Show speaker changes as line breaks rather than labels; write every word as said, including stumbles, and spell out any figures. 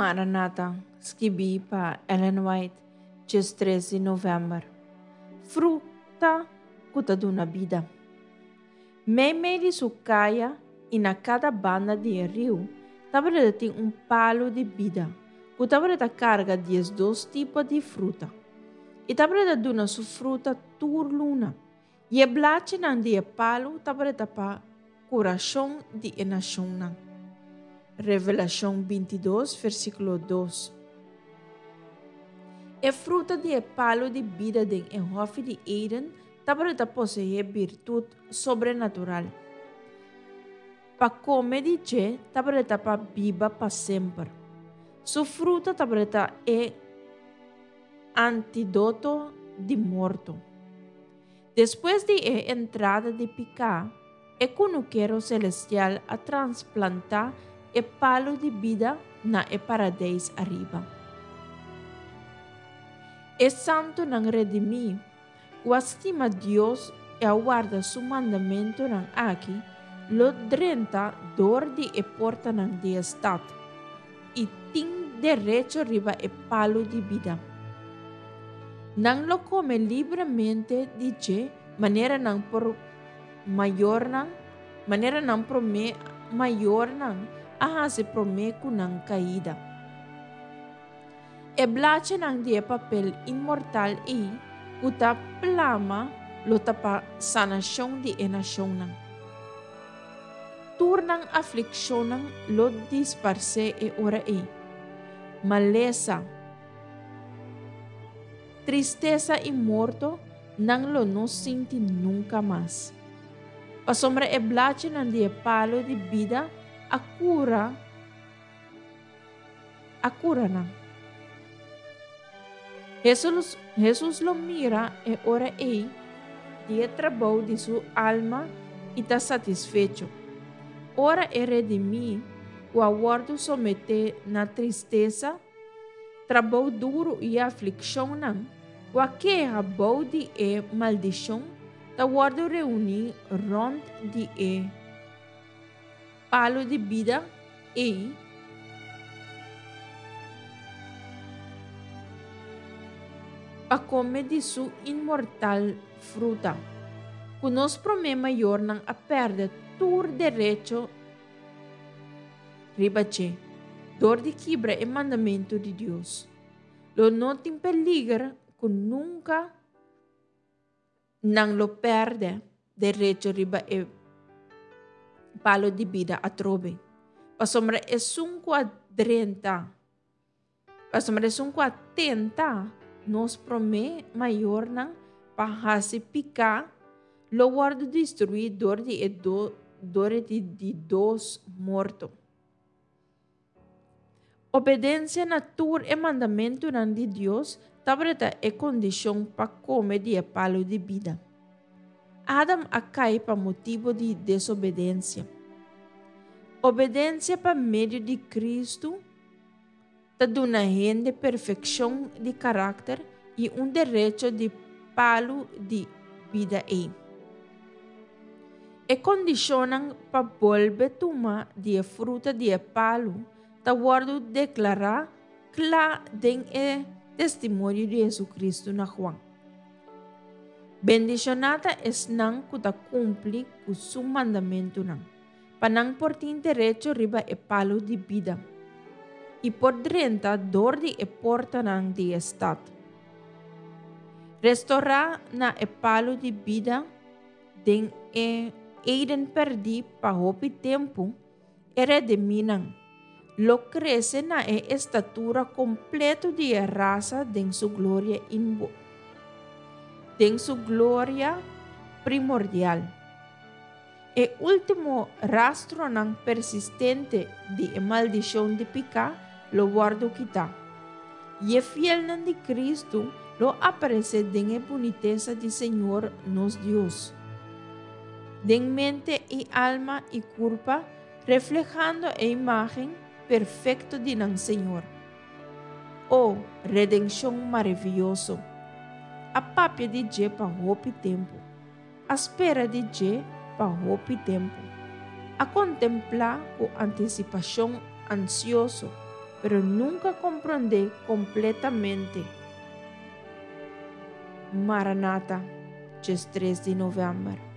Maranata, skibí pa Ellen White, diestres di novèmber. Fruta ku ta duna bida. Meimei di su kaya i na kada banda di e riu tabata tin un palu di bida ku tabata karga diesdos tipo di fruta i tabata duna su fruta tur luna, i e blachinan di e palu tabata pa kurashon di e nashonnan. Revelashon bintidos, versíkulo dos. E fruta di e palu di bida den e hòfi di Eden tabata poseé birtut sobrenatural. Pa kome di dje tabata pa biba pa semper. Su fruta tabata e antidoto di morto. Despues di e entrada di piká, e kunukero selestial a transplantá e palu di bida na e paradeis ariba. E santunan redimí, ku a stima Dios i a warda su mandamentunan aki, lo drenta dor di e portanan di e stat i tin derecho riba e palu di bida. Nan lo kome libremente di dje manera nan por mayornan, manera nan promé mayornan a hasi promé ku nan kaida. E blachinan di e papel inmortal ei ku ta plama lo ta pa sanashon di e nashonnan. Tur nan aflikshonnan lo disparsé e ora ei. Malesa, tristesa i morto nan lo no sinti nunka mas. Pasobra e blachinan di e palu di bida a kura a kura nan. Hesus, Hesus lo mira e ora ei di e trabou di su alma i ta satisfecho. Ora e redimí ku a wòrdu someté na tristesa, trabou duru i aflikshonnan, ku a keha bou di e maldishon, ta wòrdu reuní rònt di e palu di bida ei, pa kome di su inmortal fruta. Ku nos promé mayornan a pèrdè tur derecho riba dje, dor di kibra e mandamentu di Dios. Lo no tin peliger ku nunka nan lo pèrdè derecho riba e palu di bida atrobe. Pasobra esun ku a drenta, pasobra esun ku a tenta nos promé mayornan pa hasi piká, lo wòrdu destruí dor di e do, dor di di dos morto. Obedensia na tur e mandamentunan di Dios tabata e kondishon pa kome di e palu di bida. Adam a kai pa motibu di desobedensia. Obedensia pa medio di Kristu ta duna hende perfekshon di karakter i un derecho di palu di bida ei. E kondishonnan pa bolbe tuma di e fruta di e palu ta wòrdu deklará kla den e testimonio di Hesukristu na Juan. Bendishoná ta esnan ku ta kumpli ku su mandamentunan, pa nan por tin derecho riba e palu di bida i por drenta dor di e portanan di e stat. Restorá na e palu di bida den e Eden pèrdí pa hopi tempu, e redimínan lo krese na e estatura kompleto di e rasa den su gloria inbo den su gloria primordial. E último rastronan persistente di e maldishon di piká lo wòrdu kitá, i e fielnan di Kristu lo aparesé den e bunitesa di Señor nos Dios, den mente i alma i kurpa, reflehando e imágen perfekto di nan Señor. O, redenshon maravioso! A papia di dje pa hopi tempu, a spera di dje pa hopi tempu, a kontemplá ku antisipashon ansioso. Pero nunka komprondé kompletamente. Maranata, diestres di novèmber.